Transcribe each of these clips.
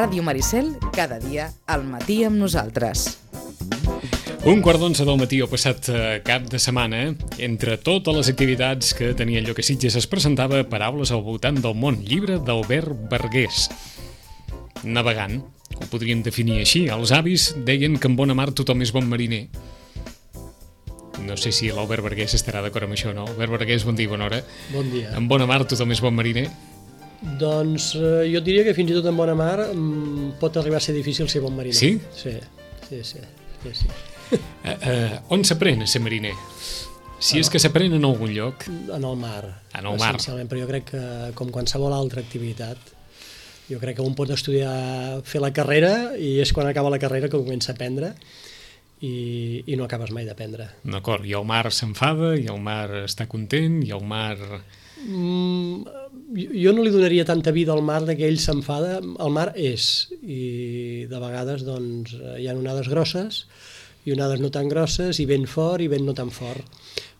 Ràdio Maricel, cada dia al matí amb nosaltres. 11:45 del matí el passat cap de setmana, entre totes les activitats que tenia el lloc a Sitges, es presentava Paraules al voltant del món, llibre d'Albert Bargués. Navegant, ho podríem definir així. Els avis deien que en bona mar tothom és bon mariner. No sé si l'Albert Bargués estarà d'acord amb això o no. Albert Bargués, bon dia i bona hora. Bon dia. En bona mar tothom és bon mariner? Doncs jo diria que fins i tot en bona mar pot arribar a ser difícil ser bon mariner. Sí? Sí. On s'aprèn a ser mariner? Si és que s'aprèn en algun lloc. En el mar. En el mar. Essencialment, però jo crec que, com qualsevol altra activitat, jo crec que un pot estudiar, fer la carrera, i és quan acaba la carrera que comença a aprendre, i no acabes mai d'aprendre. D'acord, i el mar s'enfada, i el mar està content, i el mar... Jo no li donaria tanta vida al mar que ell s'enfada. El mar és, i de vegades doncs, hi ha onades grosses i onades no tan grosses, i vent fort i vent no tan fort,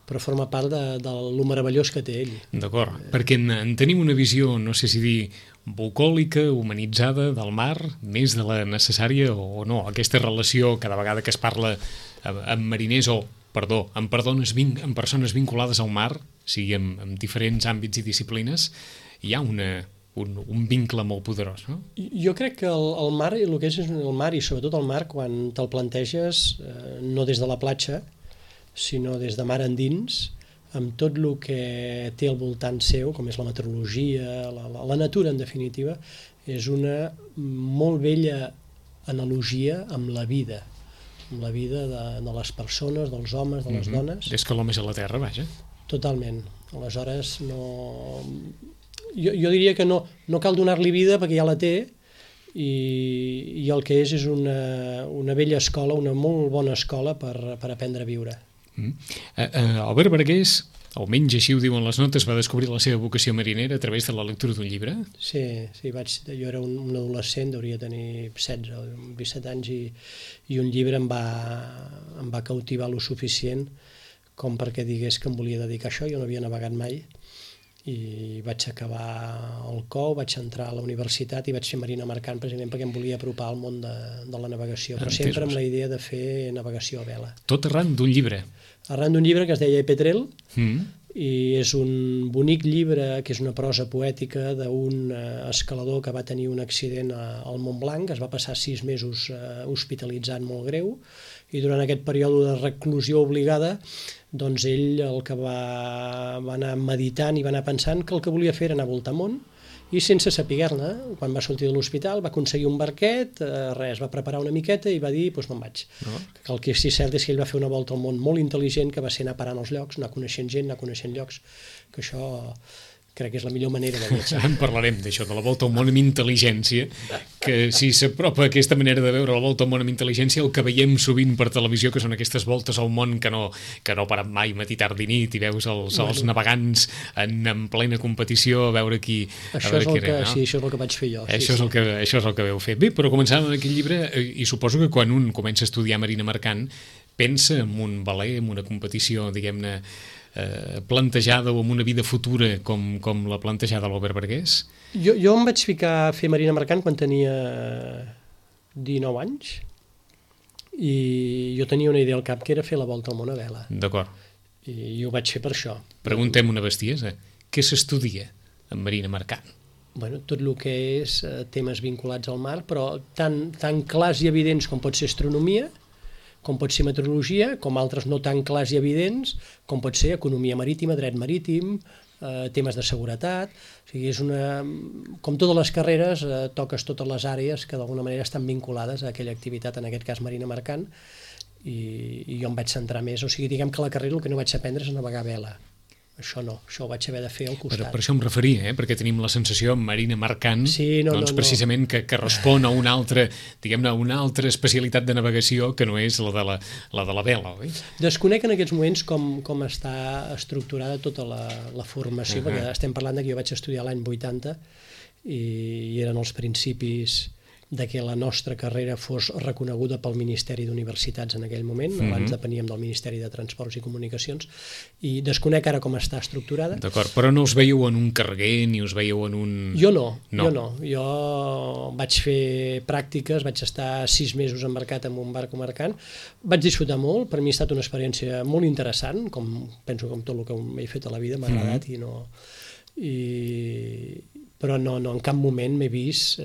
però forma part de lo meravellós que té ell. D'acord, perquè en tenim una visió, no sé si dir bucòlica, humanitzada del mar, més de la necessària o no. Aquesta relació, cada vegada que es parla amb mariners amb persones vinculades al mar, sigui en diferents àmbits i disciplines, hi ha un vincle molt poderós, no? Jo crec que el mar, el que és el mar, i sobretot el mar, quan te'l planteges, no des de la platja, sinó des de mar endins, amb tot el que té al voltant seu, com és la meteorologia, la natura, en definitiva, és una molt bella analogia amb la vida de les persones, dels homes, de les dones. Des que l'home és a la terra, vaja. Totalment. Aleshores, jo diria que no cal donar-li vida perquè ja la té, i el que és una bella escola, una molt bona escola per aprendre a viure. Albert Bargués, almenys així ho diuen les notes, va descobrir la seva vocació marinera a través de la lectura d'un llibre? Sí, jo era un adolescent, hauria de tenir 16 o 17 anys, i un llibre em va cautivar lo suficient com perquè digués que em volia dedicar a això. Jo no havia navegat mai, i vaig acabar el COU, vaig entrar a la universitat i vaig fer marina mercant precisament perquè em volia apropar al món de la navegació, però sempre amb la idea de fer navegació a vela. Tot arran d'un llibre? Arran d'un llibre que es deia Petrel, i és un bonic llibre que és una prosa poètica d'un escalador que va tenir un accident al Mont Blanc, es va passar 6 mesos hospitalitzat molt greu, i durant aquest període de reclusió obligada, doncs ell el que va anar meditant i va anar pensant que el que volia fer era anar a voltar món, i sense saber-ne, quan va sortir de l'hospital va aconseguir un barquet, va preparar una miqueta i va dir, doncs me'n vaig. El que sí cert és que ell va fer una volta al món molt intel·ligent, que va ser anar parant els llocs, anar coneixent gent, anar coneixent llocs, que això crec que és la millor manera de viatjar. En parlarem d'això, de la volta al món amb intel·ligència, que si s'apropa aquesta manera de veure la volta al món amb intel·ligència, el que veiem sovint per televisió, que són aquestes voltes al món que no paren mai matí, tard i nit, i veus els navegants en plena competició a veure qui... Això és el que vaig fer jo. Això és el que veu fer. Bé, però començant amb aquest llibre, i suposo que quan un comença a estudiar marina mercant, pensa en un veler, en una competició, diguem-ne, plantejada o amb una vida futura com la plantejada l'Albert Bargués? Jo em vaig ficar a fer marina mercant quan tenia 19 anys, i jo tenia una idea al cap que era fer la volta al món a vela. D'acord. I ho vaig fer per això. Preguntem una bestiesa. Què s'estudia en marina mercant? Bueno, tot el que és temes vinculats al mar, però tan clars i evidents com pot ser astronomia, com pot ser meteorologia, com altres no tan clars i evidents, com pot ser economia marítima, dret marítim, temes de seguretat. O sigui, com totes les carreres, toques totes les àrees que d'alguna manera estan vinculades a aquella activitat, en aquest cas marina mercant, i jo em vaig centrar més. O sigui, diguem que la carrera el que no vaig aprendre és a navegar a vela. Això no, això ho vaig haver de fer al costat. Per això em referia, perquè tenim la sensació en marina mercant, precisament que respon a una altra, diguem-ne, una altra especialitat de navegació que no és la de la vela, oi? Desconec en aquests moments com està estructurada tota la formació, perquè estem parlant que jo vaig estudiar l'any 80 i eren els principis de que la nostra carrera fos reconeguda pel Ministeri d'Universitats en aquell moment, abans depeníem del Ministeri de Transports i Comunicacions, i desconec ara com està estructurada. D'acord, però no us veieu en un carguer ni us veieu en un... Jo no. Jo vaig fer pràctiques, vaig estar 6 mesos embarcat en un barco mercant, vaig disfrutar molt, per mi ha estat una experiència molt interessant, penso com tot el que he fet a la vida, m'ha agradat però no, en cap moment m'he vist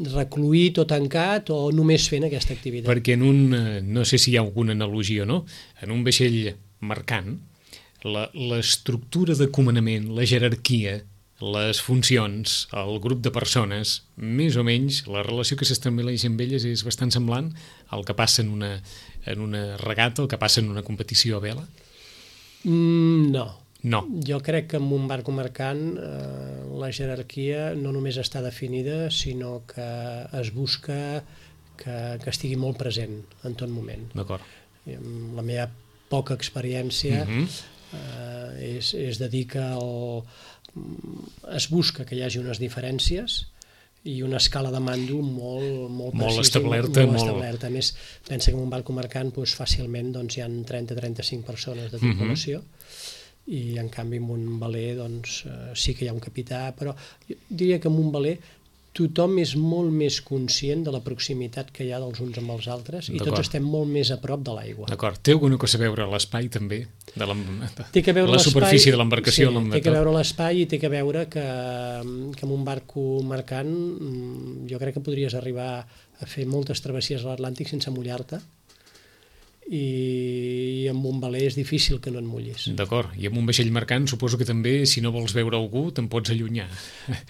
recluït o tancat o només fent aquesta activitat. Perquè no sé si hi ha alguna analogia o no, en un vaixell mercant, l'estructura de comandament, la jerarquia, les funcions, el grup de persones, més o menys, la relació que s'estableix amb elles és bastant semblant al que passa en una regata, el que passa en una competició a vela? No. Jo crec que en un barco mercant la jerarquia no només està definida, sinó que es busca que estigui molt present en tot moment. D'acord. La meva poca experiència és de dir que es busca que hi hagi unes diferències i una escala de mando molt precisa, establerta. A més, pensa que en un barco mercant fàcilment hi ha 30-35 persones de tripulació, i en canvi en un veler sí que hi ha un capità, però jo diria que en un veler tothom és molt més conscient de la proximitat que hi ha dels uns amb els altres i tots estem molt més a prop de l'aigua. D'acord. Té alguna cosa a veure l'espai també? Té que veure la superfície de l'embarcació? Sí, té que veure l'espai i té que veure que en un barco mercant jo crec que podries arribar a fer moltes travessies a l'Atlàntic sense mullar-te, i amb un veler és difícil que no et mullis. D'acord, i amb un vaixell mercant suposo que també, si no vols veure algú, te'n pots allunyar.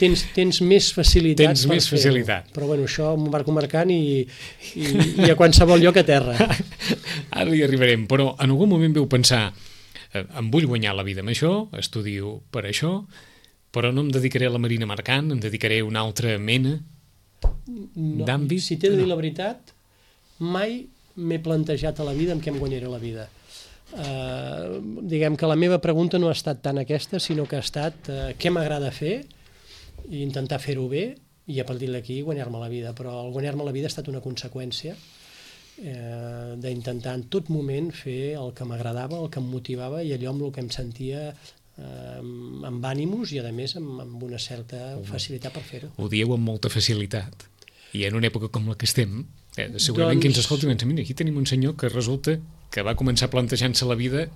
Tens més facilitat per fer-ho. Però bueno, això amb un barco mercant i a qualsevol lloc a terra. Ara hi arribarem, però en algun moment veu pensar em vull guanyar la vida amb això, estudio per això, però no em dedicaré a la marina mercant, em dedicaré a una altra mena d'àmbit? Si t'he de dir la veritat, mai m'he plantejat a la vida amb què em guanyaré la vida. Diguem que la meva pregunta no ha estat tant aquesta, sinó que ha estat què m'agrada fer i intentar fer-ho bé i a partir d'aquí guanyar-me la vida. Però el guanyar-me la vida ha estat una conseqüència d'intentar en tot moment fer el que m'agradava, el que em motivava i allò amb el que em sentia amb ànimos i a més amb una certa facilitat per fer-ho. Ho dieu amb molta facilitat. I en una època com la que estem, segurament que ens escolti i mira, aquí tenim un senyor que resulta que va començar plantejant-se la vida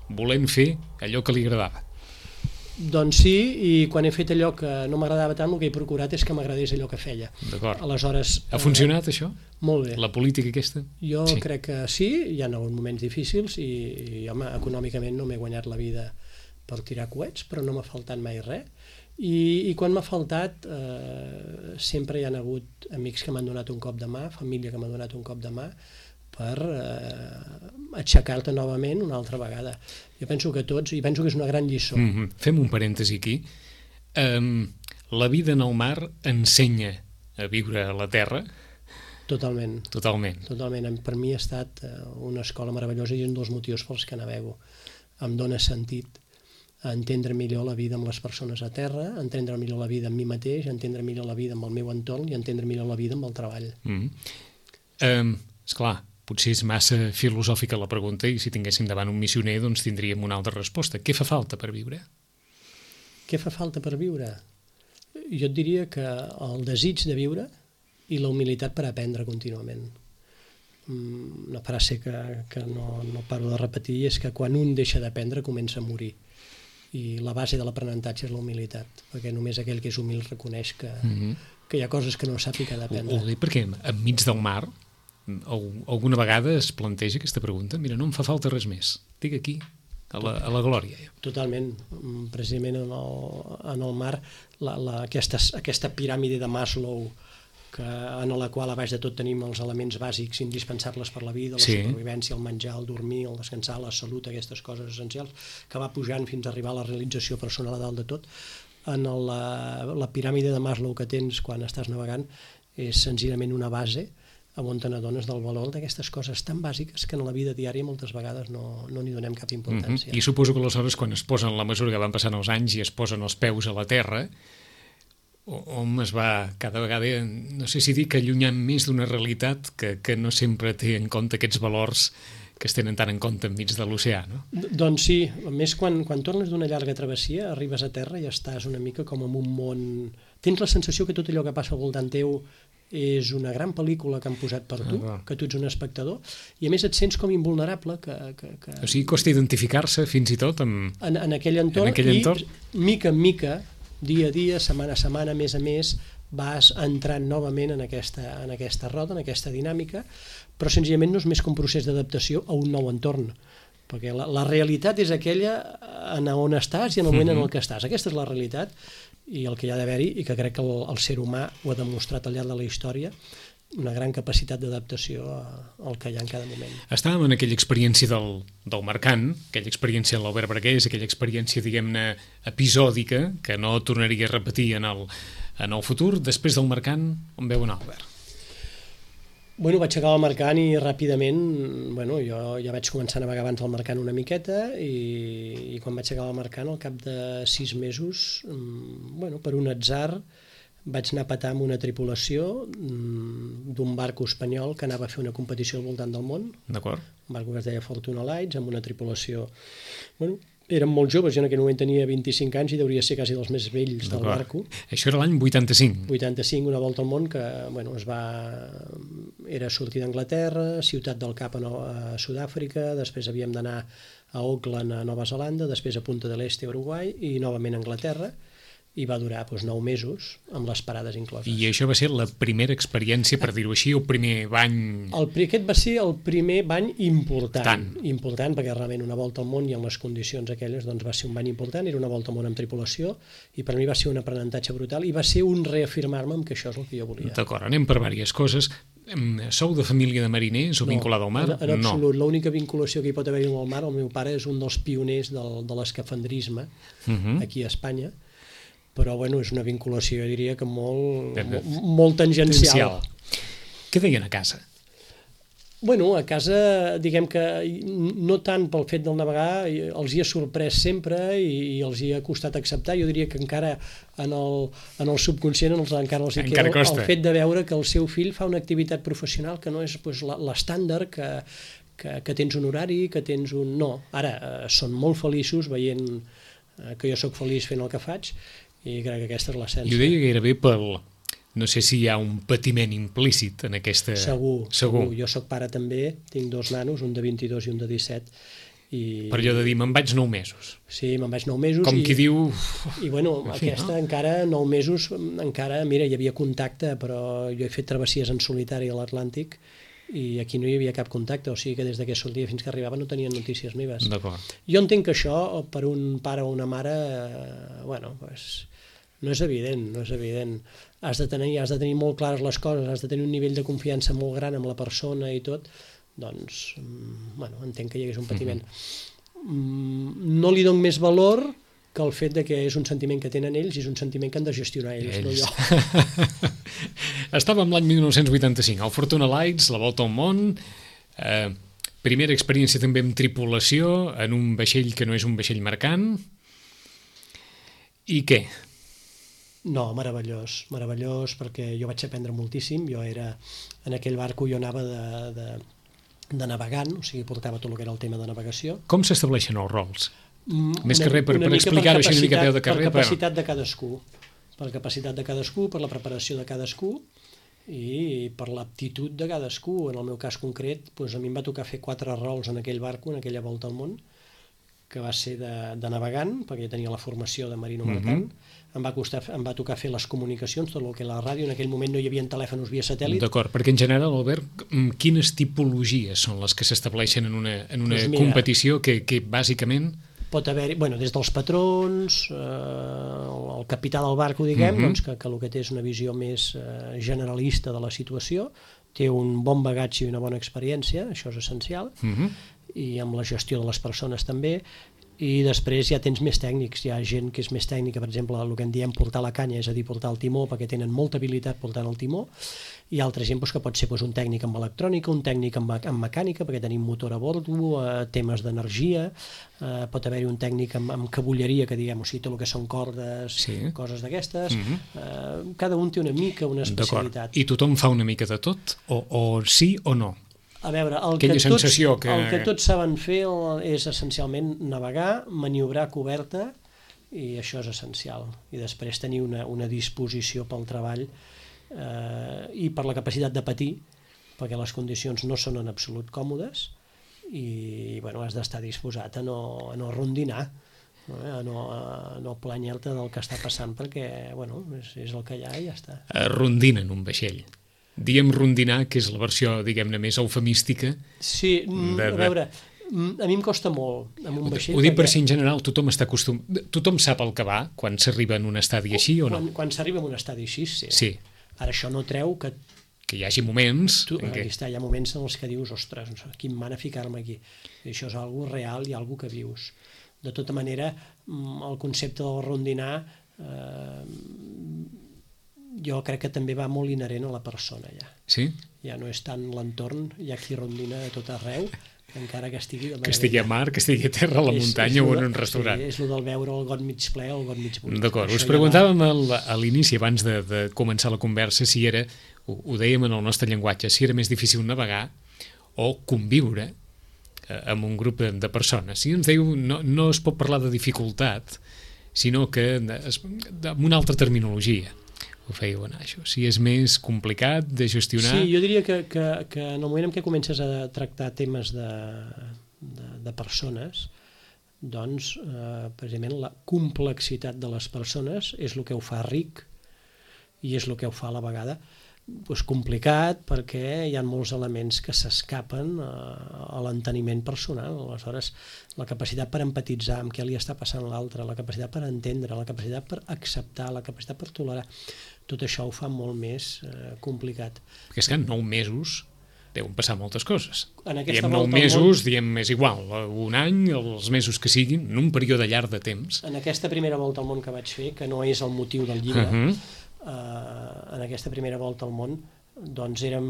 volent fer allò que li agradava. Doncs sí, i quan he fet allò que no m'agradava tant, el que he procurat és que m'agradés allò que feia. D'acord. Aleshores, ha funcionat això? Molt bé. La política aquesta? Jo crec que sí, hi ha hagut moments difícils i home, econòmicament no m'he guanyat la vida per tirar coets, però no m'ha faltat mai res. I quan m'ha faltat sempre hi ha hagut amics que m'han donat un cop de mà, família que m'ha donat un cop de mà per aixecar-te novament una altra vegada. Jo penso que tots, i penso que és una gran lliçó. Fem un parèntesi aquí. La vida en el mar ensenya a viure a la terra? Totalment. Totalment. Per mi ha estat una escola meravellosa i un dels motius pels que navego. Em dóna sentit a entendre millor la vida amb les persones a terra, a entendre millor la vida amb mi mateix, a entendre millor la vida amb el meu entorn i a entendre millor la vida amb el treball. Esclar, potser és massa filosòfica la pregunta i si tinguéssim davant un missioner doncs tindríem una altra resposta. Què fa falta per viure? Què fa falta per viure? Jo et diria que el desig de viure i la humilitat per aprendre contínuament. Una frase que no paro de repetir és que quan un deixa d'aprendre comença a morir. I la base de l'aprenentatge és la humilitat, perquè només aquell que és humil reconeix que hi ha coses que no sap i que ha d'aprendre. Ho dic perquè enmig del mar alguna vegada es planteja aquesta pregunta, mira, no em fa falta res més, estic aquí a la glòria. Totalment, precisament en el mar aquesta piràmide de Maslow en la qual a baix de tot tenim els elements bàsics indispensables per la vida, la supervivència, el menjar, el dormir, el descansar, la salut, aquestes coses essencials, que va pujant fins a arribar a la realització personal a dalt de tot. En la piràmide de Maslow que tens quan estàs navegant és senzillament una base on te n'adones del valor d'aquestes coses tan bàsiques que en la vida diària moltes vegades no n'hi donem cap importància. I suposo que aleshores quan es posen, la mesura que van passant els anys i es posen els peus a la terra, hom es va cada vegada, no sé si dir que allunyant més d'una realitat que no sempre té en compte aquests valors que es tenen tant en compte enmig de l'oceà, no? Doncs sí, a més quan tornes d'una llarga travessia, arribes a terra i estàs una mica com en un món... Tens la sensació que tot allò que passa al voltant teu és una gran pel·lícula que han posat per tu, que tu ets un espectador, i a més et sents com invulnerable. O sigui, costa identificar-se fins i tot en aquell entorn, i mica en mica, dia a dia, setmana a setmana, mes a mes, vas entrant novament en aquesta roda, en aquesta dinàmica, però senzillament no és més que un procés d'adaptació a un nou entorn, perquè la realitat és aquella on estàs i en el moment en el que estàs. Aquesta és la realitat i el que hi ha d'haver-hi, i que crec que el ser humà ho ha demostrat al llarg de la història, una gran capacitat d'adaptació al que hi ha en cada moment. Estàvem en aquella experiència del mercant, aquella experiència en l'Albert Bargués, aquella experiència, diguem-ne, episòdica, que no tornaria a repetir en el futur. Després del mercant, on veu anar Albert? Bueno, vaig acabar el mercant i ràpidament, jo ja vaig començar a navegar abans del mercant una miqueta, i quan vaig acabar el mercant, al cap de 6 mesos, per un atzar, vaig anar a petar amb una tripulació d'un barco espanyol que anava a fer una competició al voltant del món. D'acord. Un barco que es deia Fortuna Lights, amb una tripulació... Érem molt joves, jo en aquell moment tenia 25 anys i hauria ser quasi dels més vells del barco. Això era l'any 85. 85, una volta al món que era sortir d'Anglaterra, Ciutat del Cap a Sud-àfrica, després havíem d'anar a Auckland, a Nova Zelanda, després a Punta del Este, a Uruguai, i novament a Anglaterra, i va durar 9 mesos, amb les parades incloses. I això va ser la primera experiència, per dir-ho així, el primer bany... Aquest va ser el primer bany important, perquè realment una volta al món i en les condicions aquelles va ser un bany important, era una volta al món amb tripulació, i per mi va ser un aprenentatge brutal, i va ser un reafirmar-me en que això és el que jo volia. D'acord, anem per diverses coses. Sou de família de mariners o vinculada al mar? En absolut. L'única vinculació que hi pot haver amb el mar, el meu pare és un dels pioners de l'escafandrisme aquí a Espanya, però és una vinculació, jo diria que molt tangencial. Què deien a casa? A casa, diguem que no tant pel fet del navegar, els hi ha sorprès sempre i els hi ha costat acceptar. Jo diria que encara en el subconscient encara els hi queda el fet de veure que el seu fill fa una activitat professional que no és l'estàndard, que tens un horari, que tens un... No, ara són molt feliços veient que jo sóc feliç fent el que faig, i crec que aquesta és l'essència. Jo deia gairebé no sé si hi ha un patiment implícit en aquesta... Segur. Jo soc pare també, tinc 2 nanos, un de 22 i un de 17. Per allò de dir, me'n vaig 9 mesos. Sí, me'n vaig 9 mesos. Com qui diu... I aquesta encara, 9 mesos, encara, mira, hi havia contacte, però jo he fet travessies en solitari a l'Atlàntic i aquí no hi havia cap contacte, o sigui que des que sortia fins que arribava no tenien notícies meves. D'acord. Jo entenc que això, per un pare o una mare, no és evident, Has de tenir molt clares les coses, has de tenir un nivell de confiança molt gran amb la persona i tot, doncs, entenc que hi hagués un patiment. No li dono més valor que el fet de que és un sentiment que tenen ells i és un sentiment que han de gestionar ells. No jo. Estàvem l'any 1985, al Fortuna Lights, la volta al món, primera experiència també amb tripulació, en un vaixell que no és un vaixell mercant, i què? No, meravellós, perquè jo vaig aprendre moltíssim, en aquell barco jo anava de navegant, o sigui, portava tot el que era el tema de navegació. Com s'estableixen els rols? Més que res, per explicar-ho així una mica a peu de carrer. Per capacitat de cadascú, per la preparació de cadascú i per l'aptitud de cadascú. En el meu cas concret, a mi em va tocar fer 4 rols en aquell barco, en aquella volta al món, que va ser de navegant, perquè jo tenia la formació de marino mercant. Em va tocar fer les comunicacions, tot el que la ràdio, en aquell moment no hi havia telèfons via satèl·lit. D'acord, perquè en general, Albert, quines tipologies són les que s'estableixen en una competició que bàsicament... Pot haver, des dels patrons, el capità del barco, diguem, que el que té és una visió més generalista de la situació, té un bon bagatge i una bona experiència, això és essencial, i amb la gestió de les persones també, I després ja tens més tècnics, hi ha gent que és més tècnica, per exemple, el que en diem portar la canya, és a dir, portar el timó, perquè tenen molta habilitat portant el timó, i altra gent que pot ser un tècnic amb electrònica, un tècnic amb mecànica, perquè tenim motor a bordo, temes d'energia, pot haver-hi un tècnic amb cabulleria, que diguem, o sigui, tot el que són cordes, coses d'aquestes, cada un té una mica una especialitat. I tothom fa una mica de tot? O sí o no? A veure, el que tots saben fer és essencialment navegar, maniobrar coberta, i això és essencial. I després tenir una disposició pel treball i per la capacitat de patir, perquè les condicions no són en absolut còmodes i has d'estar disposat a no rondinar, a no planyar-te del que està passant, perquè és el que hi ha i ja està. Rondina en un vaixell. Diem rondinar, que és la versió, diguem-ne, més eufemística. Sí, a veure, a mi em costa molt amb un vaixell. Ho dic per si en general tothom està acostumat. Tothom sap el que va quan s'arriba en un estadi així o no? Quan s'arriba en un estadi així, sí. Ara això no treu que hi hagi moments... Hi ha moments en els que dius, ostres, quin mana ficar-me aquí. I això és algo real i algo que vius. De tota manera, el concepte del rondinar jo crec que també va molt inherent a la persona ja. Sí? Ja no és tant l'entorn, hi ha qui rondina a tot arreu, encara que estigui... Que estigui a mar, que estigui a terra, a la muntanya o en un restaurant. Sí, és el del veure el got mig ple o el got mig buit. D'acord, us preguntàvem a l'inici, abans de començar la conversa, si era, ho dèiem en el nostre llenguatge, si era més difícil navegar o conviure amb un grup de persones. Si ens diu, no es pot parlar de dificultat, sinó que amb una altra terminologia ho fèieu anar, això. Si és més complicat de gestionar... Sí, jo diria que en el moment en què comences a tractar temes de persones, doncs, precisament, la complexitat de les persones és el que ho fa ric i és el que ho fa a la vegada complicat, perquè hi ha molts elements que s'escapen a l'enteniment personal. Aleshores, la capacitat per empatitzar amb què li està passant l'altre, la capacitat per entendre, la capacitat per acceptar, la capacitat per tolerar, tot això ho fa molt més complicat. Perquè és que en 9 mesos deuen passar moltes coses. Diem 9 mesos, diem és igual, un any, els mesos que siguin, en un període llarg de temps. En aquesta primera volta al món que vaig fer, que no és el motiu del llibre, en aquesta primera volta al món, doncs érem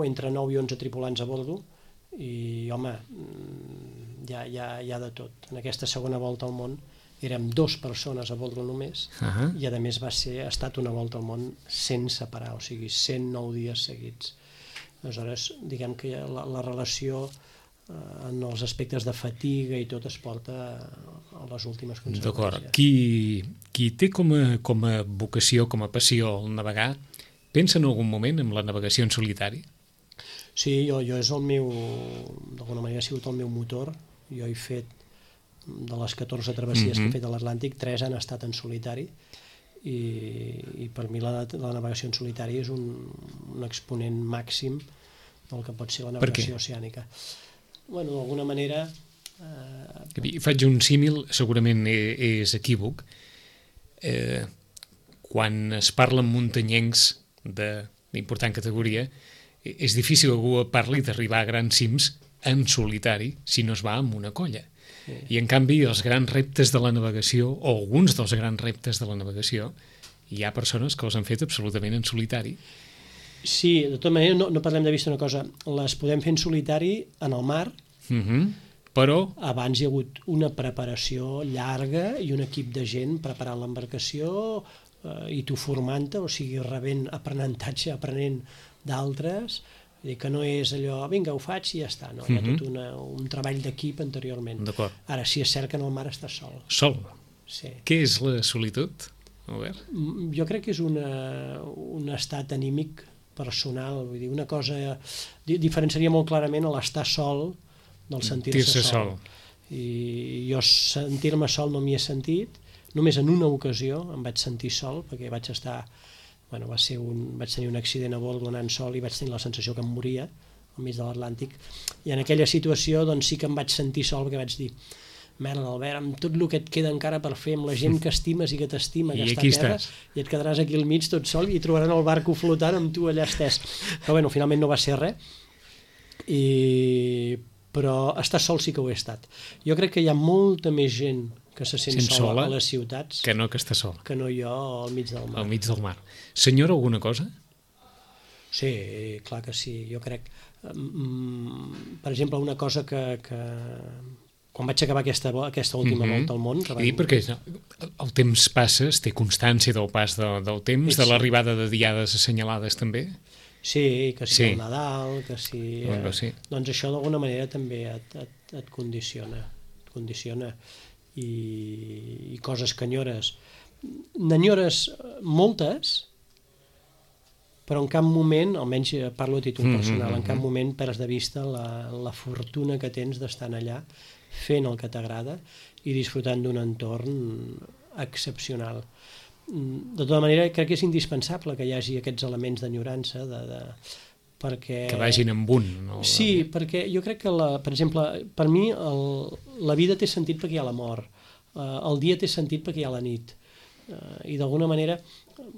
entre 9 i 11 tripulants a bordo i, home, hi ha de tot. En aquesta segona volta al món érem 2 persones a bordo només i, a més, ha estat una volta al món sense parar, o sigui, 109 dies seguits. Aleshores, diguem que la relació en els aspectes de fatiga i tot es porta a les últimes conseqüències. D'acord. Qui té com a vocació, com a passió el navegar, pensa en algun moment en la navegació en solitari? Sí, jo és el meu, d'alguna manera ha sigut el meu motor. Jo he fet, de les 14 travessies que he fet a l'Atlàntic, 3 han estat en solitari i per mi la navegació en solitari és un exponent màxim del que pot ser la navegació oceànica. Bueno, d'alguna manera... Faig un símil, segurament és equívoc. Quan es parla amb muntanyencs d'important categoria, és difícil que algú parli d'arribar a grans cims en solitari si no es va amb una colla. I en canvi els grans reptes de la navegació, o alguns dels grans reptes de la navegació, hi ha persones que els han fet absolutament en solitari. Sí, de tota manera no parlem de vista una cosa, les podem fer en solitari en el mar, però abans hi ha hagut una preparació llarga i un equip de gent preparant l'embarcació i tu formant-te, o sigui, rebent aprenentatge, aprenent d'altres, que no és allò, vinga, ho faig i ja està, no? Hi ha tot un treball d'equip anteriorment. Ara, sí, és cert que en el mar estàs sol. Sol? Sí. Què és la solitud, Albert? Jo crec que és un estat anímic personal, vull dir, una cosa... Diferenciaria molt clarament l'estar sol del sentir-se sol. I jo sentir-me sol no m'hi he sentit, només en una ocasió em vaig sentir sol, perquè vaig estar... Bueno, vaig tenir un accident a bord anant sol i vaig tenir la sensació que em moria al mig de l'Atlàntic. I en aquella situació doncs sí que em vaig sentir sol, perquè vaig dir, merda, Albert, amb tot el que et queda encara per fer, amb la gent que estimes i que t'estima, que està a terra, i et quedaràs aquí al mig tot sol i trobaran el barco flotant amb tu allà estès. Però bueno, finalment no va ser res. però estar sol sí que ho he estat. Jo crec que hi ha molta més gent que se sent sola a les ciutats que no que està sola. Que no jo al mig del mar. Al mig del mar. Senyora, alguna cosa? Sí, clar que sí. Jo crec, per exemple, una cosa que quan vaig acabar aquesta última volta al món... I perquè el temps passa, es té constància del pas del temps, de l'arribada de diades assenyalades també? Sí, que sí, el Nadal, que sí... Doncs això d'alguna manera també et condiciona. I coses que enyores. N'enyores moltes, però en cap moment, almenys parlo a títol personal, en cap moment perds de vista la fortuna que tens d'estar allà fent el que t'agrada i disfrutant d'un entorn excepcional. De tota manera, crec que és indispensable que hi hagi aquests elements d'enyorança, perquè... Que vagin amb un. No? Sí, perquè jo crec que, per exemple, per mi la vida té sentit perquè hi ha la mort, el dia té sentit perquè hi ha la nit, i d'alguna manera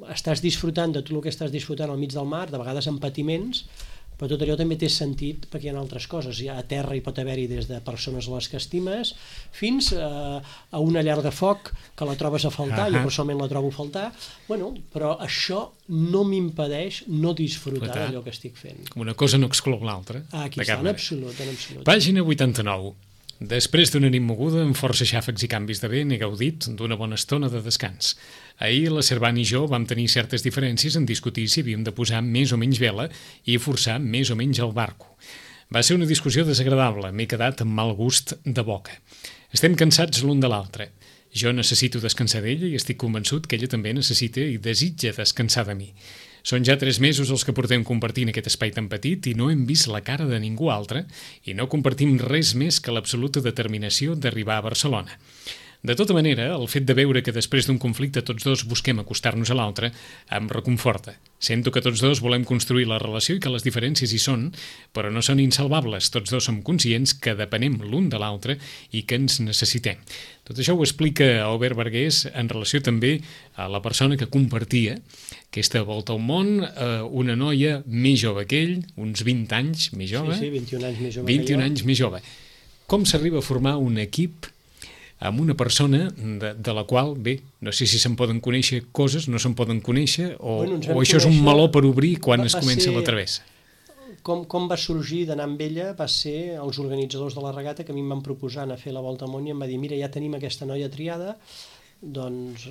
estàs disfrutant de tot el que estàs disfrutant al mig del mar, de vegades amb patiments, però tot allò també té sentit perquè hi ha altres coses. A terra hi pot haver-hi des de persones a les que estimes fins a una llar de foc que la trobes a faltar, jo personalment la trobo a faltar, però això no m'impedeix no disfrutar d'allò que estic fent. Com una cosa no exclou l'altra. Aquí està, en absolut. Pàgina 89. Després d'una nit moguda, amb força xàfecs i canvis de vent, he gaudit d'una bona estona de descans. Ahir la Servant i jo vam tenir certes diferències en discutir si havíem de posar més o menys vela i forçar més o menys el barco. Va ser una discussió desagradable, m'he quedat amb mal gust de boca. Estem cansats l'un de l'altre. Jo necessito descansar d'ella i estic convençut que ella també necessita i desitja descansar de mi. Són ja 3 mesos els que portem compartint aquest espai tan petit i no hem vist la cara de ningú altre i no compartim res més que l'absoluta determinació d'arribar a Barcelona. De tota manera, el fet de veure que després d'un conflicte tots dos busquem acostar-nos a l'altre em reconforta. Sento que tots dos volem construir la relació i que les diferències hi són, però no són insalvables. Tots dos som conscients que depenem l'un de l'altre i que ens necessitem. Tot això ho explica Aubert Bergués en relació també a la persona que compartia aquesta volta al món, una noia més jove que ell, uns 20 anys més jove. Sí, 21 anys més jove 21 anys més jove. Com s'arriba a formar un equip amb una persona de la qual, bé, no sé si se'n poden conèixer coses, no se'n poden conèixer, o això és un meló per obrir quan es comença la travessa? Com va sorgir d'anar amb ella va ser els organitzadors de la regata que a mi em van proposar anar a fer la volta al món i em va dir, mira, ja tenim aquesta noia triada, doncs,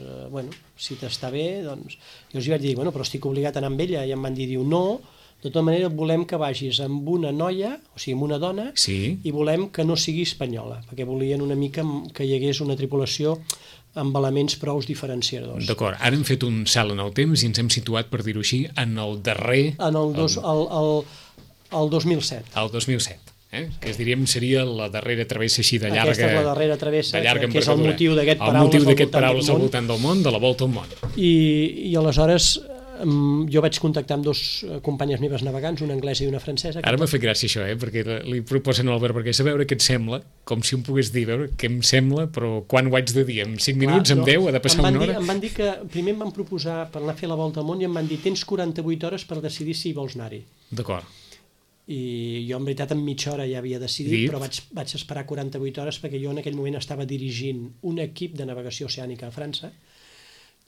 si t'està bé, doncs... Jo els vaig dir, però estic obligat a anar amb ella, i em van dir, no, de tota manera volem que vagis amb una noia, o sigui, amb una dona, i volem que no sigui espanyola, perquè volien una mica que hi hagués una tripulació amb elements prou diferenciadors. D'acord, ara hem fet un salt en el temps i ens hem situat, per dir-ho així, en el darrer... El 2007. El 2007. Que diríem seria la darrera travessa així de llarga... Aquesta és la darrera travessa, que és el motiu d'aquest Paraules al voltant del món, de la volta al món. I aleshores jo vaig contactar amb 2 companyes meves navegants, una anglesa i una francesa. Ara m'ha fet gràcia això, perquè li proposen a l'Albert Bergués a veure què et sembla, com si em pogués dir, veure què em sembla, però quan ho haig de dir? En 5 minuts, en 10, ha de passar una hora? Em van dir que primer em van proposar per anar a fer la volta al món i em van dir, tens 48 hores per decidir si vols anar-hi. D'acord. I jo en veritat en mitja hora ja havia decidit, però vaig esperar 48 hores perquè jo en aquell moment estava dirigint un equip de navegació oceànica a França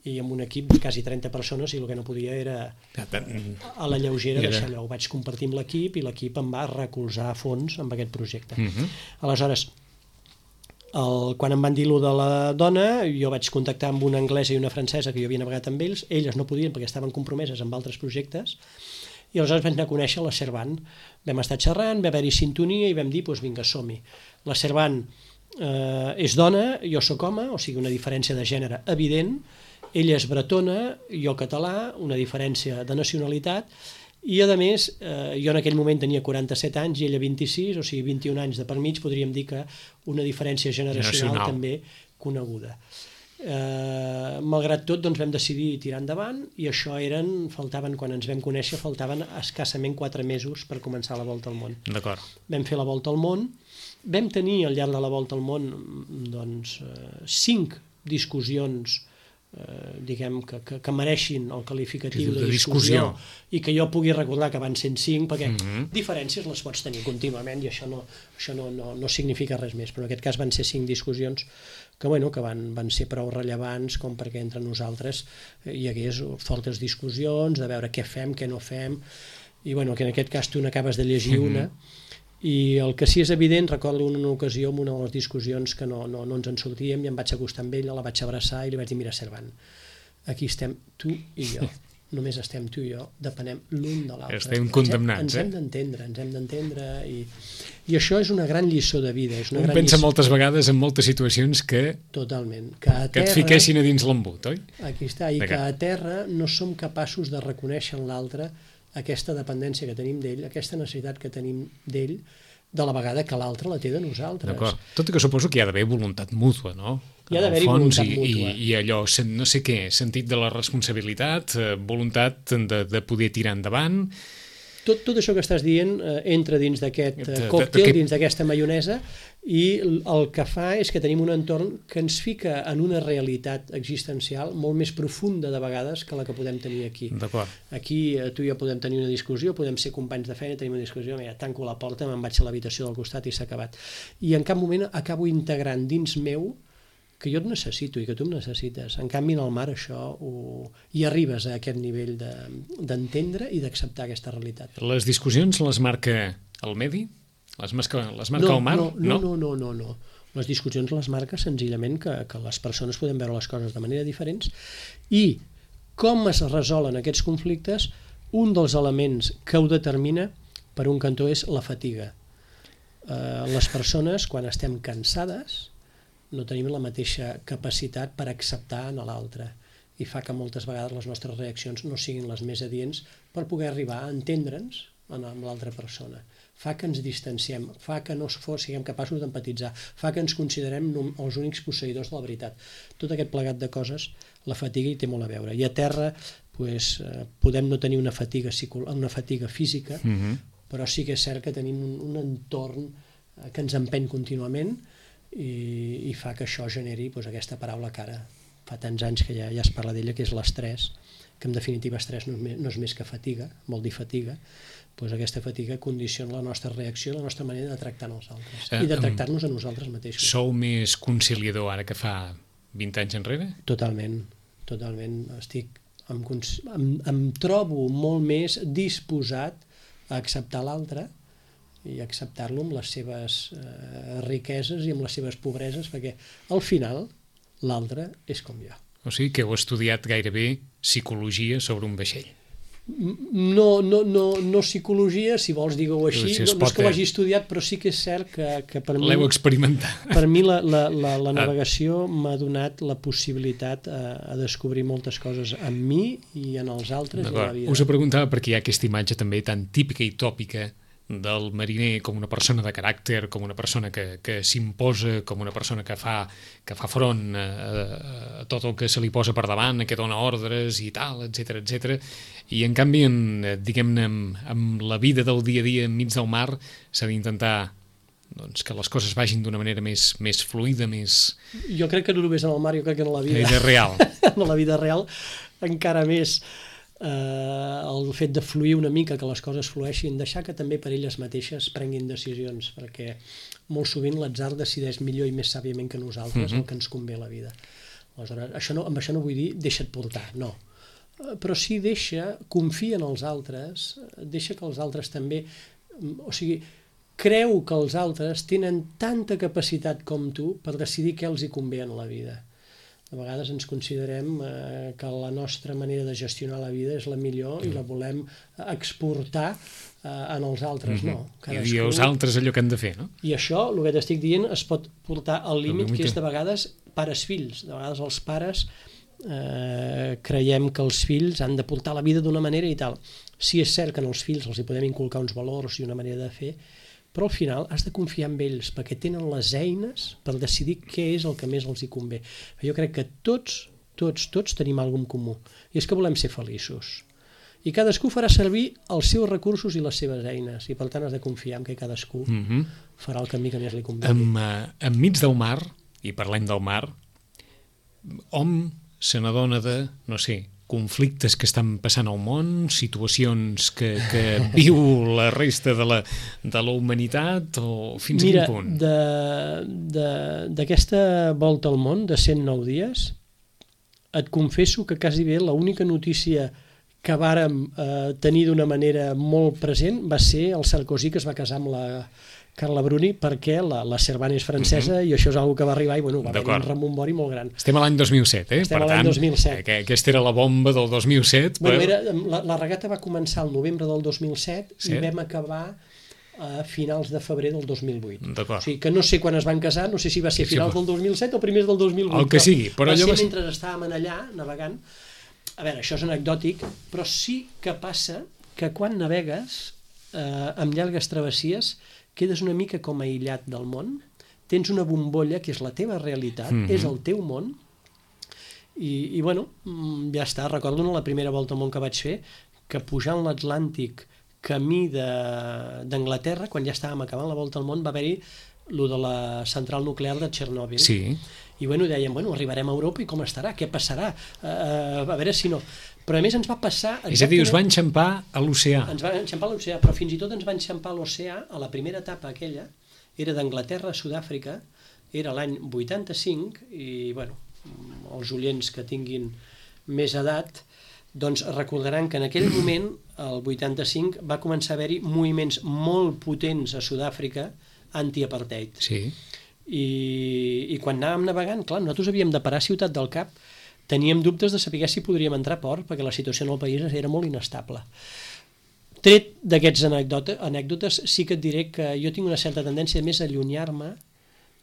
i amb un equip de quasi 30 persones i el que no podia era a la lleugera deixar allò. Ho vaig compartir amb l'equip i l'equip em va recolzar a fons amb aquest projecte. Aleshores, quan em van dir allò de la dona, jo vaig contactar amb una anglesa i una francesa que jo havia navegat amb ells, elles no podien perquè estaven compromeses amb altres projectes, i aleshores vaig anar a conèixer la Servant. Vam estar xerrant, va haver-hi sintonia i vam dir, doncs vinga, som-hi. La Servant és dona, jo sóc home, o sigui, una diferència de gènere evident, ella és bretona, jo català, una diferència de nacionalitat, i a més, jo en aquell moment tenia 47 anys i ella 26, o sigui 21 anys de per mig, podríem dir que una diferència generacional també coneguda. Malgrat tot, doncs vam decidir tirar endavant i això quan ens vam conèixer, faltaven escassament 4 mesos per començar la volta al món. D'acord. Vam fer la volta al món, vam tenir al llarg de la volta al món doncs 5 discussions diguem, que mereixin el qualificatiu de discussió i que jo pugui recordar que van 105, perquè diferències les pots tenir contínuament i això no significa res més, però en aquest cas van ser 5 discussions que van ser prou rellevants com perquè entre nosaltres hi hagués fortes discussions de veure què fem, què no fem, i que en aquest cas tu n'acabes de llegir una. I el que sí és evident, recordo una ocasió en una de les discussions que no ens en sortíem i em vaig acostar amb ella, la vaig abraçar i li vaig dir, mira, Servant, aquí estem tu i jo, només estem tu i jo, depenem l'un de l'altre. Estem condemnats, ens hem d'entendre i això és una gran lliçó de vida. Un pensa moltes vegades en moltes situacions que totalment, que et fiquessin a dins l'embut, oi? Aquí està, i que a terra no som capaços de reconèixer en l'altre aquesta dependència que tenim d'ell, aquesta necessitat que tenim d'ell, de la vegada que l'altre la té de nosaltres. D'acord. Tot i que suposo que hi ha d'haver voluntat mútua, no? Hi ha d'haver-hi voluntat mútua. I allò, no sé què, sentit de la responsabilitat, voluntat de poder tirar endavant. Tot això que estàs dient entra dins d'aquest còctel, dins d'aquesta maionesa, i el que fa és que tenim un entorn que ens fica en una realitat existencial molt més profunda de vegades que la que podem tenir aquí. Aquí tu i jo podem tenir una discussió, podem ser companys de feina, tenim una discussió, mira, tanco la porta, me'n vaig a l'habitació del costat i s'ha acabat. I en cap moment acabo integrant dins meu que jo et necessito i que tu em necessites. En canvi, en el mar això hi arribes a aquest nivell d'entendre i d'acceptar aquesta realitat. Les discussions les marca el medi? Les marca el mar? No. Les discussions les marca senzillament que les persones podem veure les coses de manera diferents i com es resolen aquests conflictes, un dels elements que ho determina per un cantó és la fatiga. Les persones, quan estem cansades, no tenim la mateixa capacitat per acceptar en l'altre i fa que moltes vegades les nostres reaccions no siguin les més adients per poder arribar a entendre'ns amb l'altra persona. Fa que ens distanciem, fa que no siguem capaços d'empatitzar, fa que ens considerem els únics posseïdors de la veritat. Tot aquest plegat de coses, la fatiga hi té molt a veure. I a terra podem no tenir una fatiga física, però sí que és cert que tenim un entorn que ens empeny contínuament i fa que això generi aquesta paraula que ara fa tants anys que ja es parla d'ella, que és l'estrès, que en definitiva estrès no és més que fatiga, vol dir fatiga. Aquesta fatiga condiciona la nostra reacció, la nostra manera de tractar els altres i de tractar-nos a nosaltres mateixos. Sou més conciliador ara que fa 20 anys enrere? Totalment. Em trobo molt més disposat a acceptar l'altre i acceptar-lo amb les seves riqueses i amb les seves pobreses, perquè al final l'altre és com jo. O sigui que heu estudiat gairebé psicologia sobre un vaixell. No psicologia, si vols dir-ho així, no és que ho hagi estudiat, però sí que és cert que per mi... L'heu experimentat. Per mi la navegació m'ha donat la possibilitat a descobrir moltes coses en mi i en els altres i en la vida. Us ho preguntava perquè hi ha aquesta imatge també tan típica i tòpica del mariner com una persona de caràcter, com una persona que s'imposa, com una persona que fa front a tot el que se li posa per davant, que dona ordres i tal, etc. I en canvi, diguem-ne, amb la vida del dia a dia enmig del mar, s'ha d'intentar que les coses vagin d'una manera més fluida, més... Jo crec que no només en el mar, jo crec que en la vida... real. En la vida real encara més... el fet de fluir una mica, que les coses flueixin, deixar que també per elles mateixes prenguin decisions, perquè molt sovint l'atzar decideix millor i més sàviament que nosaltres el que ens convé a la vida. Aleshores, amb això no vull dir deixa't portar, no. Però sí confia en els altres, deixa que els altres també... O sigui, creu que els altres tenen tanta capacitat com tu per decidir què els hi convé en la vida. A vegades ens considerem que la nostra manera de gestionar la vida és la millor i la volem exportar en els altres, no. I els altres allò que han de fer, no? I això, el que t'estic dient, es pot portar al límit, que és de vegades pares-fills. De vegades els pares creiem que els fills han de portar la vida d'una manera i tal. Sí, és cert que en els fills els hi podem inculcar uns valors i una manera de fer, però al final has de confiar en ells perquè tenen les eines per decidir què és el que més els hi convé. Jo crec que tots tenim alguna cosa en comú i és que volem ser feliços. I cadascú farà servir els seus recursos i les seves eines i per tant has de confiar en que cadascú farà el camí que més li convé. Enmig del mar, i parlem del mar, hom se n'adona de, no sé, conflictes que estan passant al món, situacions que viu la resta de la humanitat, o fins a quin punt? Mira, d'aquesta volta al món de 109 dies, et confesso que quasi bé l'única notícia que vàrem tenir d'una manera molt present va ser el Sarkozy, que es va casar amb la Carla Bruni, perquè la Servane és francesa i això és una que va arribar i va haver un rebombori molt gran. Estem a l'any 2007, Estem a l'any 2007. Aquesta era la bomba del 2007. La regata va començar al novembre del 2007 i vam acabar a finals de febrer del 2008. O sigui que no sé quan es van casar, no sé si va ser finals del 2007 o primers del 2008. El que sigui. Va ser mentre estàvem allà navegant. A veure, això és anecdòtic, però sí que passa que quan navegues amb llargues travessies quedes una mica com aïllat del món, tens una bombolla que és la teva realitat, és el teu món, i bueno, ja està. Recordo la primera volta al món que vaig fer, que pujant l'Atlàntic camí d'Anglaterra, quan ja estàvem acabant la volta al món, va haver-hi lo de la central nuclear de Txernòbil. Sí. I dèiem, arribarem a Europa i com estarà? Què passarà? A veure si no... Però a més ens va passar... És a dir, us va enxampar a l'oceà. Ens va enxampar a l'oceà, però fins i tot ens va enxampar a l'oceà a la primera etapa aquella, era d'Anglaterra a Sud-àfrica, era l'any 85, i els oients que tinguin més edat doncs recordaran que en aquell moment, el 85, va començar a haver-hi moviments molt potents a Sud-àfrica anti-apartheid. Sí. I quan anàvem navegant, clar, nosaltres havíem de parar a Ciutat del Cap, teníem dubtes de saber si podríem entrar a port, perquè la situació en el país era molt inestable. Tret d'aquests anècdotes, sí que et diré que jo tinc una certa tendència més a allunyar-me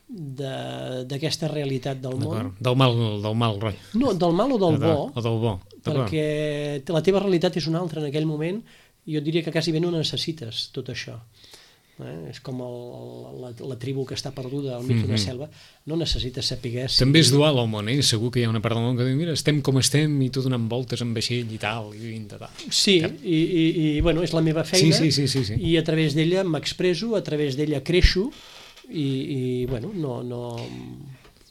d'aquesta realitat del món. Del mal rotllo. No, del mal o del bo. O del bo. Perquè la teva realitat és una altra en aquell moment, i jo diria que quasi bé no necessites tot això. És com la tribu que està perduda al mig d'una selva, no necessites saber... També és dual el món, segur que hi ha una part del món que diu, mira, estem com estem i tu donant voltes en vaixell i tal, i tal. Sí, i és la meva feina, sí. I a través d'ella m'expresso, a través d'ella creixo, i no...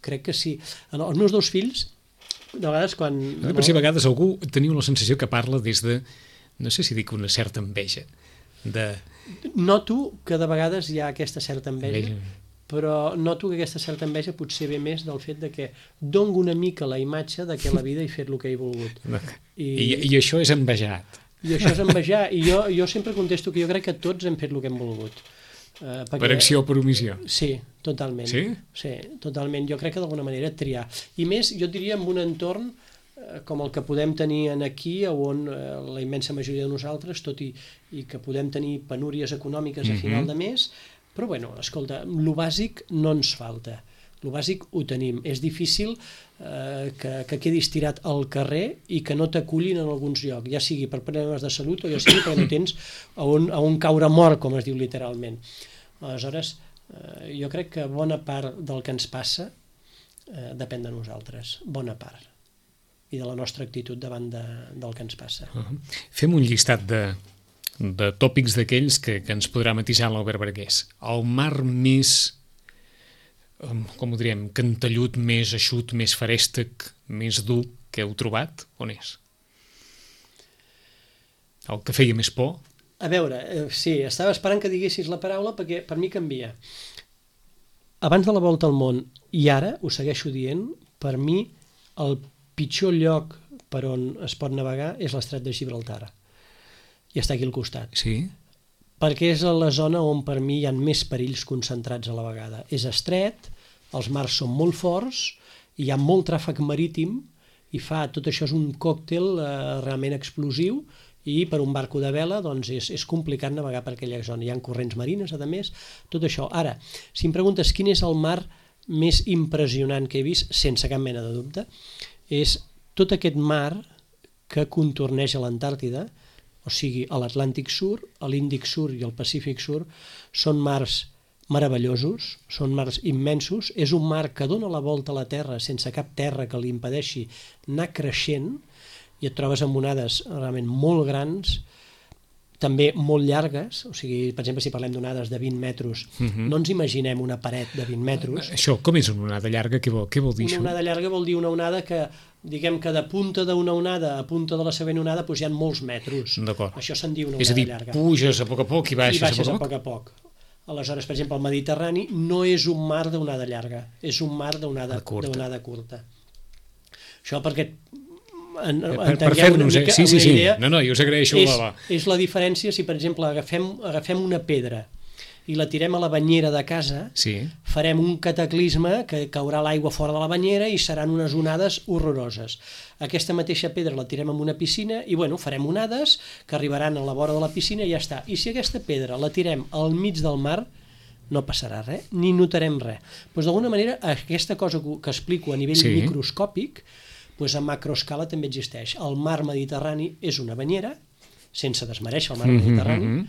Crec que sí. Els meus dos fills, de vegades quan... Per si a vegades algú teniu la sensació que parla des de, no sé si dic una certa enveja, Noto que de vegades hi ha aquesta certa enveja, però noto que aquesta certa enveja potser ve més del fet de que dono una mica la imatge de que la vida he fet el que he volgut. I això és envejat. I això és envejar, i jo sempre contesto que jo crec que tots hem fet el que hem volgut. Per acció o per omissió? Sí, totalment. Sí? Sí, totalment. Jo crec que d'alguna manera triar. I més, jo diria, en un entorn com el que podem tenir aquí, on la immensa majoria de nosaltres, tot i que podem tenir penúries econòmiques a final de mes, però escolta, lo bàsic no ens falta. Lo bàsic ho tenim. És difícil que quedis tirat al carrer i que no t'acullin en alguns llocs, ja sigui per problemes de salut o ja sigui perquè no tens a on caure mort, com es diu literalment. Aleshores, jo crec que bona part del que ens passa depèn de nosaltres, bona part, i de la nostra actitud davant del que ens passa. Fem un llistat de tòpics d'aquells que ens podrà matisar l'Albert Bargués. El mar més, com ho diríem, cantellut, més eixut, més ferèstec, més dur que heu trobat, on és? El que feia més por? A veure, sí, estava esperant que diguessis la paraula perquè per mi canvia. Abans de la volta al món i ara, ho segueixo dient, per mi el pitjor lloc per on es pot navegar és l'estret de Gibraltar. I està aquí al costat. Sí? Perquè és la zona on per mi hi ha més perills concentrats a la vegada. És estret, els mars són molt forts, hi ha molt tràfic marítim i tot això és un còctel realment explosiu i per un barco de vela doncs és complicat navegar per aquella zona. Hi ha corrents marines, a més, tot això. Ara, si em preguntes quin és el mar més impressionant que he vist, sense cap mena de dubte, és tot aquest mar que contorneja l'Antàrtida, o sigui, a l'Atlàntic Sur, a l'Índic Sur i al Pacífic Sur, són mars meravellosos, són mars immensos, és un mar que dona la volta a la Terra sense cap terra que li impedeixi anar creixent, i et trobes amb onades realment molt grans, també molt llargues, o sigui, per exemple, si parlem d'onades de 20 metres, no ens imaginem una paret de 20 metres. Això, com és una onada llarga? Què vol dir això? Una onada llarga vol dir una onada que, diguem que de punta d'una onada a punta de la següent onada doncs hi ha molts metres. D'acord. Això se'n diu una onada llarga. És a dir, puges a poc a poc i baixes a poc a poc. Aleshores, per exemple, el Mediterrani no és un mar d'onada llarga, és un mar d'onada curta. Això perquè per fer-nos una idea. No, jo us agraeixo. És la diferència si, per exemple, agafem una pedra i la tirem a la banyera de casa, farem un cataclisme que caurà l'aigua fora de la banyera i seran unes onades horroroses. Aquesta mateixa pedra la tirem en una piscina i farem onades que arribaran a la vora de la piscina i ja està. I si aquesta pedra la tirem al mig del mar, no passarà res, ni notarem res. Doncs d'alguna manera aquesta cosa que explico a nivell microscòpic, a macroescala també existeix. El mar Mediterrani és una banyera, sense desmereixer el mar Mediterrani,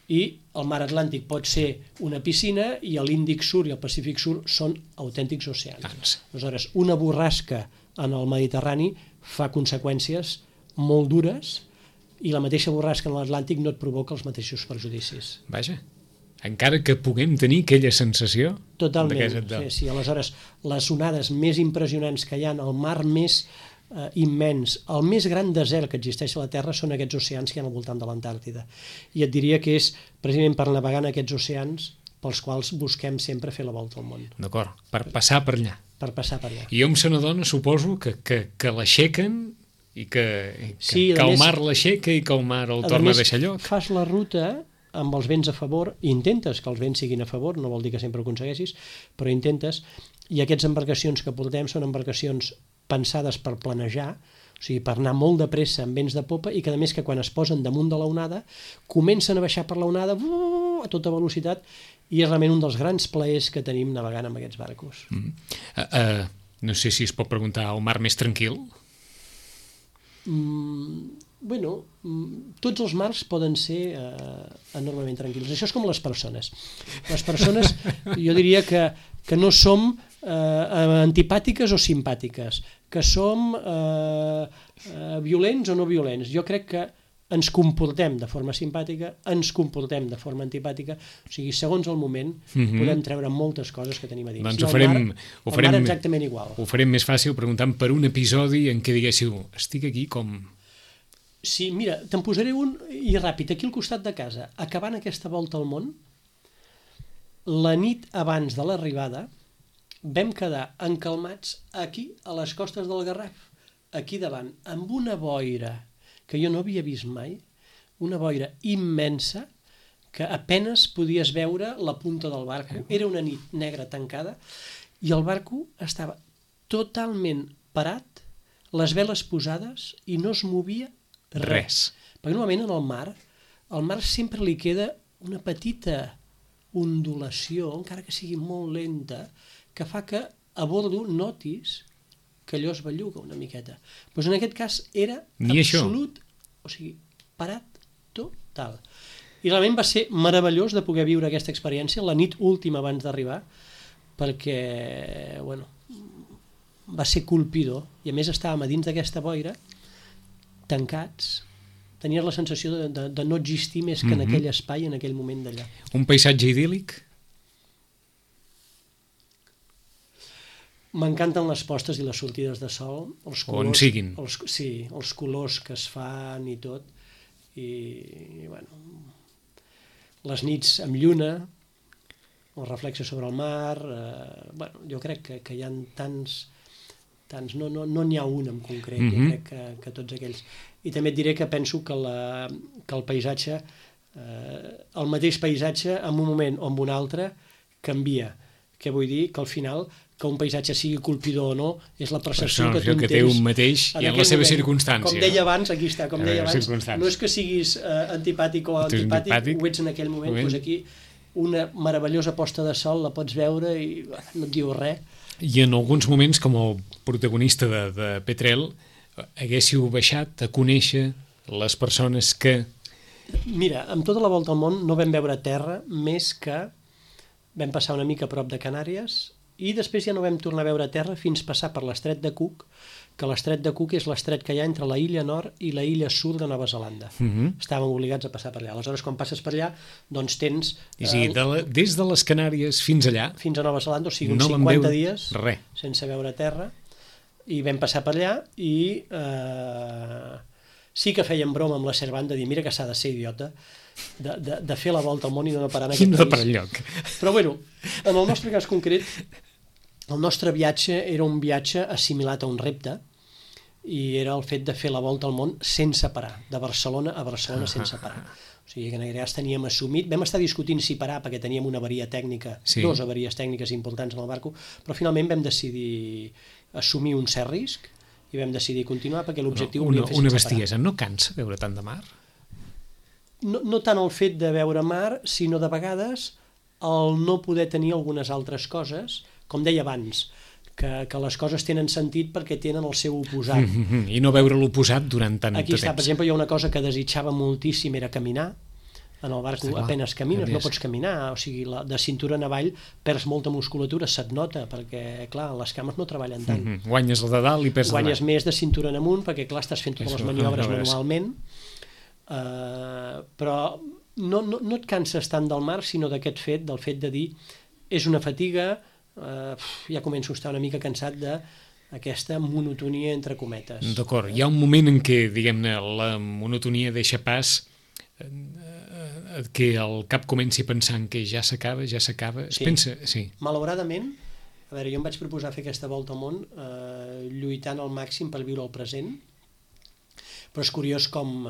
i el mar Atlàntic pot ser una piscina i l'Índic Sud i el Pacífic Sud són autèntics oceans. Aleshores, una borrasca en el Mediterrani fa conseqüències molt dures i la mateixa borrasca en l'Atlàntic no et provoca els mateixos perjudicis. Vaja, encara que puguem tenir aquella sensació. Totalment, sí. Aleshores, les onades més impressionants que hi ha, el mar més immens, el més gran desert que existeix a la Terra són aquests oceans que hi ha al voltant de l'Antàrtida. I et diria que és precisament per navegar en aquests oceans pels quals busquem sempre fer la volta al món. D'acord, per passar per allà. Per passar per allà. I hom se n'adona, suposo, que l'aixequen i que el mar l'aixeca i que el mar el torna a deixar lloc. Fas la ruta amb els vents a favor, intentes que els vents siguin a favor, no vol dir que sempre ho aconsegueixis, però intentes, i aquestes embarcacions que portem són embarcacions pensades per planejar, o sigui, per anar molt de pressa amb vents de popa i que a més que quan es posen damunt de la onada comencen a baixar per la onada a tota velocitat i és realment un dels grans plaers que tenim navegant amb aquests barcos. No sé si es pot preguntar el mar més tranquil? Tots els mars poden ser enormement tranquils. Això és com les persones. Les persones, jo diria que no som antipàtiques o simpàtiques, que som violents o no violents. Jo crec que ens comportem de forma simpàtica, ens comportem de forma antipàtica, o sigui, segons el moment podem treure moltes coses que tenim a dins. Doncs ho farem exactament igual. Ho farem més fàcil preguntant per un episodi en què diguéssiu, estic aquí com... Sí, mira, te'n posaré un i ràpid, aquí al costat de casa, acabant aquesta volta al món, la nit abans de l'arribada vam quedar encalmats aquí, a les costes del Garraf, aquí davant, amb una boira que jo no havia vist mai, una boira immensa, que apenes podies veure la punta del barco. Era una nit negra tancada i el barco estava totalment parat, les veles posades i no es movia res. Perquè normalment en el mar sempre li queda una petita ondulació, encara que sigui molt lenta, que fa que a bordo notis que allò es belluga una miqueta. Doncs en aquest cas era absolut, o sigui, parat total. I realment va ser meravellós de poder viure aquesta experiència la nit última abans d'arribar, perquè, va ser colpidor. I a més estàvem a dins d'aquesta boira, tancats, tenies la sensació de no existir més que en aquell espai, en aquell moment d'allà. Un paisatge idíl·lic? M'encanten les postes i les sortides de sol, els colors, on siguin. Els colors que es fan i tot, i les nits amb lluna, el reflexe sobre el mar, jo crec que hi ha tants, no n'hi ha un en concret, jo crec que tots aquells. I també et diré que penso que el paisatge, el mateix paisatge en un moment o en un altre canvia. Què vull dir? Que al final, que un paisatge sigui colpidor o no, és la percepció que tu en tens. Que té un mateix i en la seva circumstància. Com deia abans, aquí està, com deia abans, no és que siguis antipàtic o antipàtic, ho ets en aquell moment, doncs aquí una meravellosa posta de sol la pots veure i no et diu res. I en alguns moments, com el protagonista de Petrel, haguéssiu baixat a conèixer les persones que... Mira, amb tota la volta al món no vam veure terra més que vam passar una mica a prop de Canàries i després ja no vam tornar a veure terra fins passar per l'estret de Cook, que l'estret de Cook és l'estret que hi ha entre la illa nord i la illa sud de Nova Zelanda. Estàvem obligats a passar per allà. Aleshores, quan passes per allà, doncs tens... des de les Canàries fins allà... Fins a Nova Zelanda, o sigui, uns 50 dies sense veure terra, i vam passar per allà i sí que fèiem broma amb la Servant de dir, mira que s'ha de ser idiota, de fer la volta al món i no parar en aquest país. No parar enlloc. Però bueno, en el nostre cas concret, el nostre viatge era un viatge assimilat a un repte i era el fet de fer la volta al món sense parar, de Barcelona a Barcelona sense parar. O sigui que en aquest cas teníem assumit, vam estar discutint si parar perquè teníem una avaria tècnica, dues avaries tècniques importants en el barco, però finalment vam decidir assumir un cert risc i vam decidir continuar perquè l'objectiu volíem fer sense parar. Una bestiesa, no cansa veure tant de mar? No tant el fet de veure mar, sinó de vegades el no poder tenir algunes altres coses, com deia abans, que les coses tenen sentit perquè tenen el seu oposat. I no veure l'oposat durant tant de temps. Aquí està, per exemple, jo una cosa que desitjava moltíssim era caminar. En el barco apenes camines, no pots caminar, o sigui, de cintura en avall perds molta musculatura, se't nota, perquè, clar, les cames no treballen tant. Guanyes el de dalt i perds Guanyes més de cintura en amunt, perquè, clar, estàs fent totes les maniobres manualment, però no et canses tant del mar, sinó d'aquest fet, del fet de dir, és una fatiga, ja començo a estar una mica cansat d'aquesta monotonia entre cometes. D'acord, hi ha un moment en què, diguem-ne, la monotonia deixa pas que el cap comenci pensant que ja s'acaba, es pensa... Sí. Malauradament, a veure, jo em vaig proposar fer aquesta volta al món lluitant al màxim per viure el present, però és curiós com,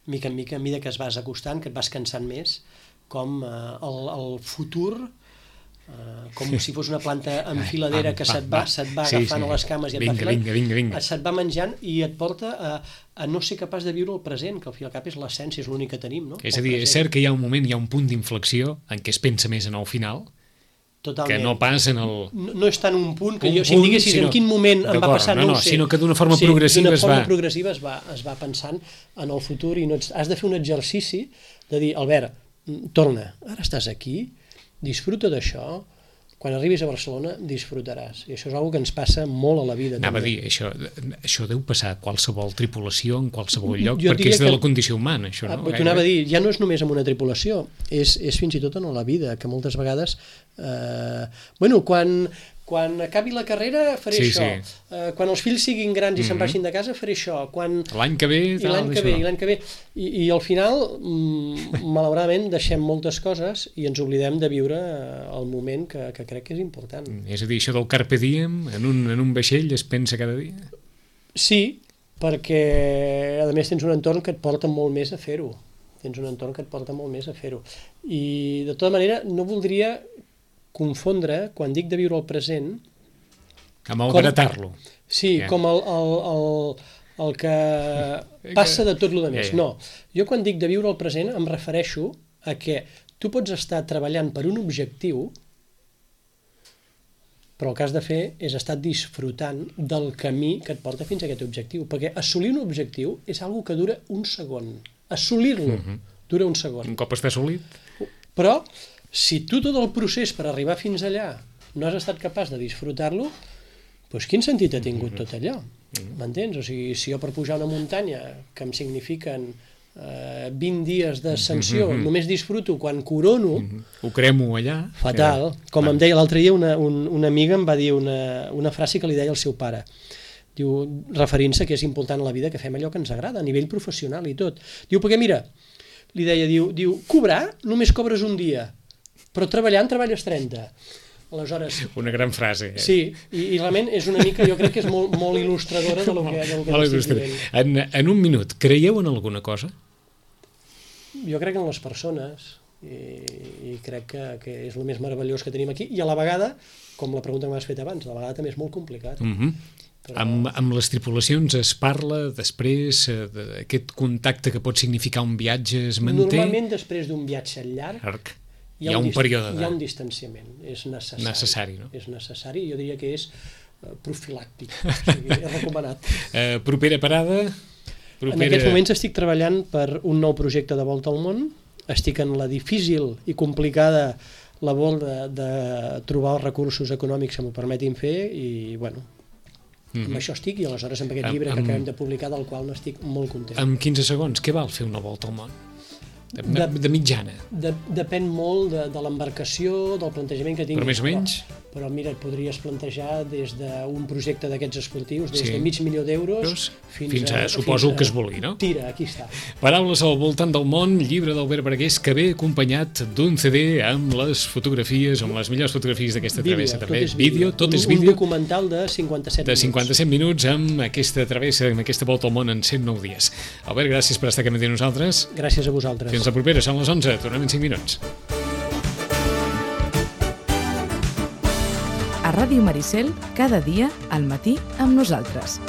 mica en mica, a mesura que es vas acostant, que et vas cansant més, com el futur, com si fos una planta enfiladera que se't va agafant a les cames i et va filant, se't va menjant i et porta a no ser capaç de viure el present, que al fi i al cap és l'essència, és l'únic que tenim, no? És a dir, és cert que hi ha un moment, hi ha un punt d'inflexió en què es pensa més en el final, totalment. Que no pas en el... No és tant un punt que si em diguessis en quin moment em va passar, no ho sé. Sinó que d'una forma progressiva es va pensant en el futur i has de fer un exercici de dir, Albert, torna, ara estàs aquí, disfruta d'això, quan arribis a Barcelona disfrutaràs. I això és una que ens passa molt a la vida. Anava a dir, això deu passar a qualsevol tripulació, en qualsevol lloc, perquè és de la condició humana, això, no? T'ho anava a dir, ja no és només amb una tripulació, és fins i tot en la vida, que moltes vegades... Quan acabi la carrera faré això, quan els fills siguin grans i se'n vagin de casa faré això, l'any que ve i al final malauradament deixem moltes coses i ens oblidem de viure el moment que crec que és important. És a dir, això del carpe diem en un vaixell es pensa cada dia? Sí, perquè a més tens un entorn que et porta molt més a fer-ho, i de tota manera no voldria confondre, quan dic de viure el present... Com a agratar-lo. Sí, com el que passa de tot el més. No, jo quan dic de viure el present em refereixo a que tu pots estar treballant per un objectiu, però el que has de fer és estar disfrutant del camí que et porta fins a aquest objectiu, perquè assolir un objectiu és una cosa que dura un segon. Assolir-lo dura un segon. Un cop està assolit. Però si tu tot el procés per arribar fins allà no has estat capaç de disfrutar-lo, doncs quin sentit ha tingut tot allò? M'entens? O sigui, si jo per pujar una muntanya que em signifiquen 20 dies d'ascensió, només disfruto quan corono... Ho cremo allà. Fatal. Com em deia l'altre dia, una amiga em va dir una frase que li deia al seu pare. Diu, referint-se que és important a la vida que fem allò que ens agrada, a nivell professional i tot. Diu, perquè mira, li deia, diu, cobrar només cobres un dia, però treballant treballes 30. Aleshores... Una gran frase. Sí, i realment és una mica, jo crec que és molt il·lustradora del que estic dient. En un minut, creieu en alguna cosa? Jo crec en les persones i crec que és el més meravellós que tenim aquí i a la vegada, com la pregunta que m'has fet abans, a la vegada també és molt complicat. Però... Amb les tripulacions es parla després d'aquest contacte que pot significar un viatge, es manté? Normalment després d'un viatge llarg hi ha un període hi ha un distanciament, és necessari, no? És necessari, jo diria que és profilàctic, o sigui, és recomanat. Propera parada? En aquests moments estic treballant per un nou projecte de volta al món, estic en la difícil i complicada labor de trobar els recursos econòmics que m'ho permetin fer i, bueno, amb això estic, i aleshores amb aquest llibre que acabem de publicar, del qual n'estic molt content. En 15 segons, què val fer una volta al món? De mitjana? Depèn molt de l'embarcació, del plantejament que tinguis. Però més o menys? Però mira, et podries plantejar des d'un projecte d'aquests esportius, des de $500,000 fins a... Suposo que es vulgui, no? Tira, aquí està. Paraules al voltant del món, llibre d'Albert Bargués, que ve acompanyat d'un CD amb les fotografies, amb les millors fotografies d'aquesta travessa, també. Vídeo, tot és vídeo. Un documental de 57 minuts. De 57 minuts amb aquesta travessa, amb aquesta volta al món en 109 dies. Albert, gràcies per estar aquí amb nosaltres. Gràcies a vosaltres. Fins la propera, són les 11, tornem en 5 minuts. A Ràdio Maricel, cada dia al matí amb nosaltres.